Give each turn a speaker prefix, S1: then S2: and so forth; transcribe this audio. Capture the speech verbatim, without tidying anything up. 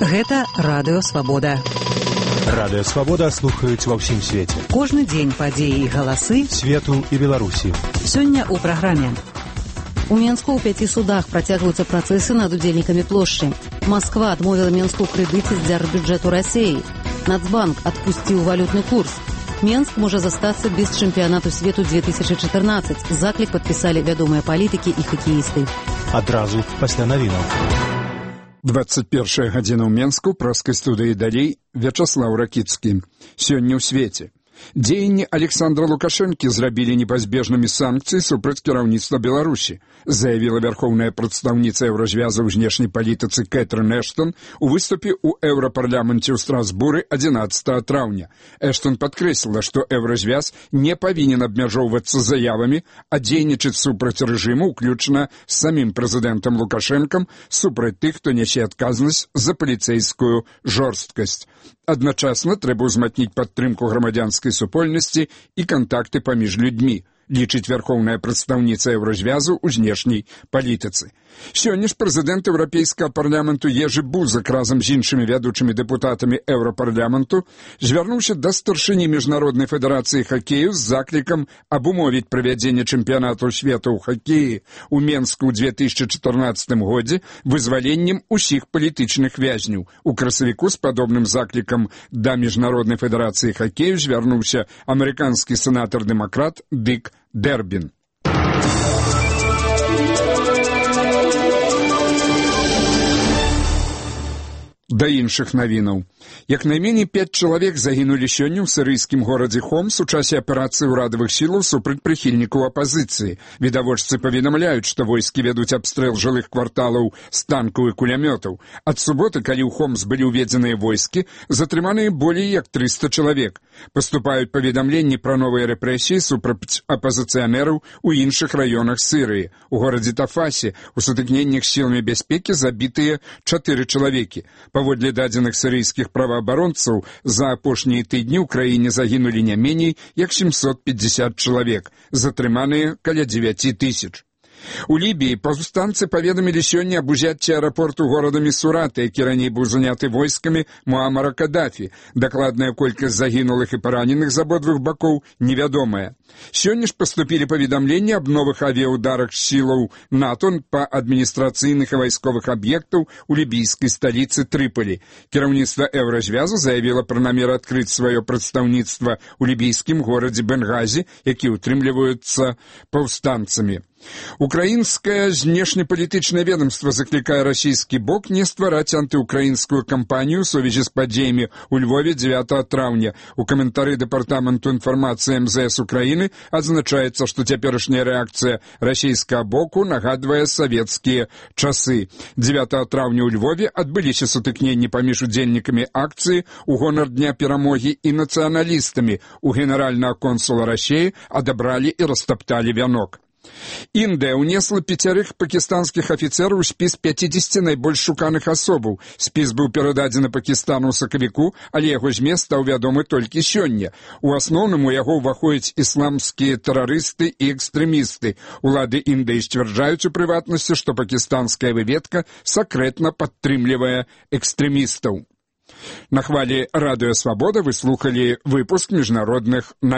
S1: Гэта Радыё Свабода.
S2: Радыё Свабода слухаюць ва ўсім свеце.
S1: Кожны дзень падзеі і галасы
S2: свету і Беларусі.
S1: Сёння ў праграме. У Менску ў пяці судах працягваюцца працэсы над удзельнікамі плошчы. Масква адмовіла Менску ў крэдыце з дзяржбюджэту Расіі. Нацбанк адпусціў валютны курс. Менск можа застацца без чэмпіянату свету две тысячы чатырнаццаць. Заклік падпісалі вядомыя палітыкі і хакеісты.
S2: Адразу пасля навінаў.
S3: двадцать первая гадзіна ў Менску, праскай студыі далей Вячаслаў Ракіцкі. Сёння ў свеце. Дзеянні Александра Лукашэнкі зрабілі непазбежнымі санкцыі супраць кіраўніцтва Беларусі, заявіла вярхоўная прадстаўніца еўразвяза ў знешняй палітыцы Кэтрын Эштон у выступе ў еўрапарламенце ў Страсбуры адзінаццатага траўня. Эштон падкрэсліла, што еўразвяз не павінен абмяжоўвацца заявамі, а дзейнічаць супраць рэжыму, уключна з самім прэзідэнтам Лукашэнкам, супраць тых, хто нясе адказнасць за паліцэйскую жорсткасць. Адначасна трэба ўзмацніць падтрымку грамадзянскай супольнасці і кантакты паміж людзьмі, лічыць вярхоўная прадстаўніца еўразвязу ў знешняй палітыцы. Сёння ж прэзідэнт еўрапейскага парламенту Ежы Бузак разам з іншымі вядучымі дэпутатамі еўрапарламенту звярнуўся да старшыні міжнароднай федэрацыі хакею з заклікам абумовіць правядзенне чэмпіянату свету ў хакеі ў Менску ў две тысячы чатырнаццатым годзе вызваленнем усіх палітычных вязняў. У красавіку з падобным заклікам да міжнароднай федэрацыі хакею звярнуўся амерыканскі сенатар-дэмакрат Дык Дэрбін. Да іншых навінаў. Як найменей пяць чалавек загінулі сёння ў сірыйскім горадзе Хомс у часе аперацыі ўрадавых сілаў супраць прыхільнікаў апазіцыі. Відавочцы паведамляюць, што войскі вядуць абстрэл жылых кварталаў з танкаў і кулямётаў. Ад суботы, калі ў Хомс былі ўведзеныя войскі, затрыманыя болей як трыста чалавек. Паступаюць паведамленні пра новыя рэпрэсіі супраць апазіцыянераў у іншых раёнах Сірыі. У горадзе Тафасе у сутыкненнях з сіламі бяспекі забітыя чатыры чалавекі. Паводле дадзеных сірыйскіх праваабаронцаў, за апошнія тыдні ў краіне загінулі не меней як сямсот пятьдесят чалавек, затрыманыя каля дзевяці тысяч. У Лібіі паўстанцы паведамілі сёння аб узяцці аэрапорту горада Місурата, які раней быў заняты войскамі Муамара Кадафі. Дакладная колькасць загінулых і параненых з абодвух бакоў невядомая. Сёння ж паступілі паведамленні аб новых авіяударах сілаў НАТО па адміністрацыйных і вайсковых аб'ектаў у лібійскай сталіцы Трыполі. Кіраўніцтва еўразвязу заявіла пра намер адкрыць сваё прадстаўніцтва ў лібійскім горадзе Бенгазі, які ўтрымліваюцца паўстанцамі. Украінскае знешнепалітычнае ведомства заклікае расійскі бок не ствараць антыукраінскую кампанію ў сувязі з падзеямі ў Львове дзевятага траўня. У каментары дэпартаменту інфармацыі эм зэ эс Украіны адзначаецца, што цяперашняя рэакцыя расійскага боку нагадвае савецкія часы. дзевятага траўня ў Львове адбыліся сутыкненні паміж удзельнікамі акцыі ў гонар дня перамогі і нацыяналістамі. У генеральнага консула Расіі адабралі і растапталі вянок. Індыя ўнесла пяцярых пакістанскіх афіцэраў у спіс пяцідзесяці найбольш шуканых асобаў. Спіс быў перададзены Пакістану ў сакавіку, але яго змест стаў вядомы толькі сёння. У асноўным у яго ўваходзяць ісламскія тэрарысты і экстрэмісты. Улады Індыі сцвярджаюць у прыватнасці, што пакістанская выведка сакрэтна падтрымлівае экстрэмістаў. На хвалі Радыё Свабода вы слухалі выпуск міжнародных навін.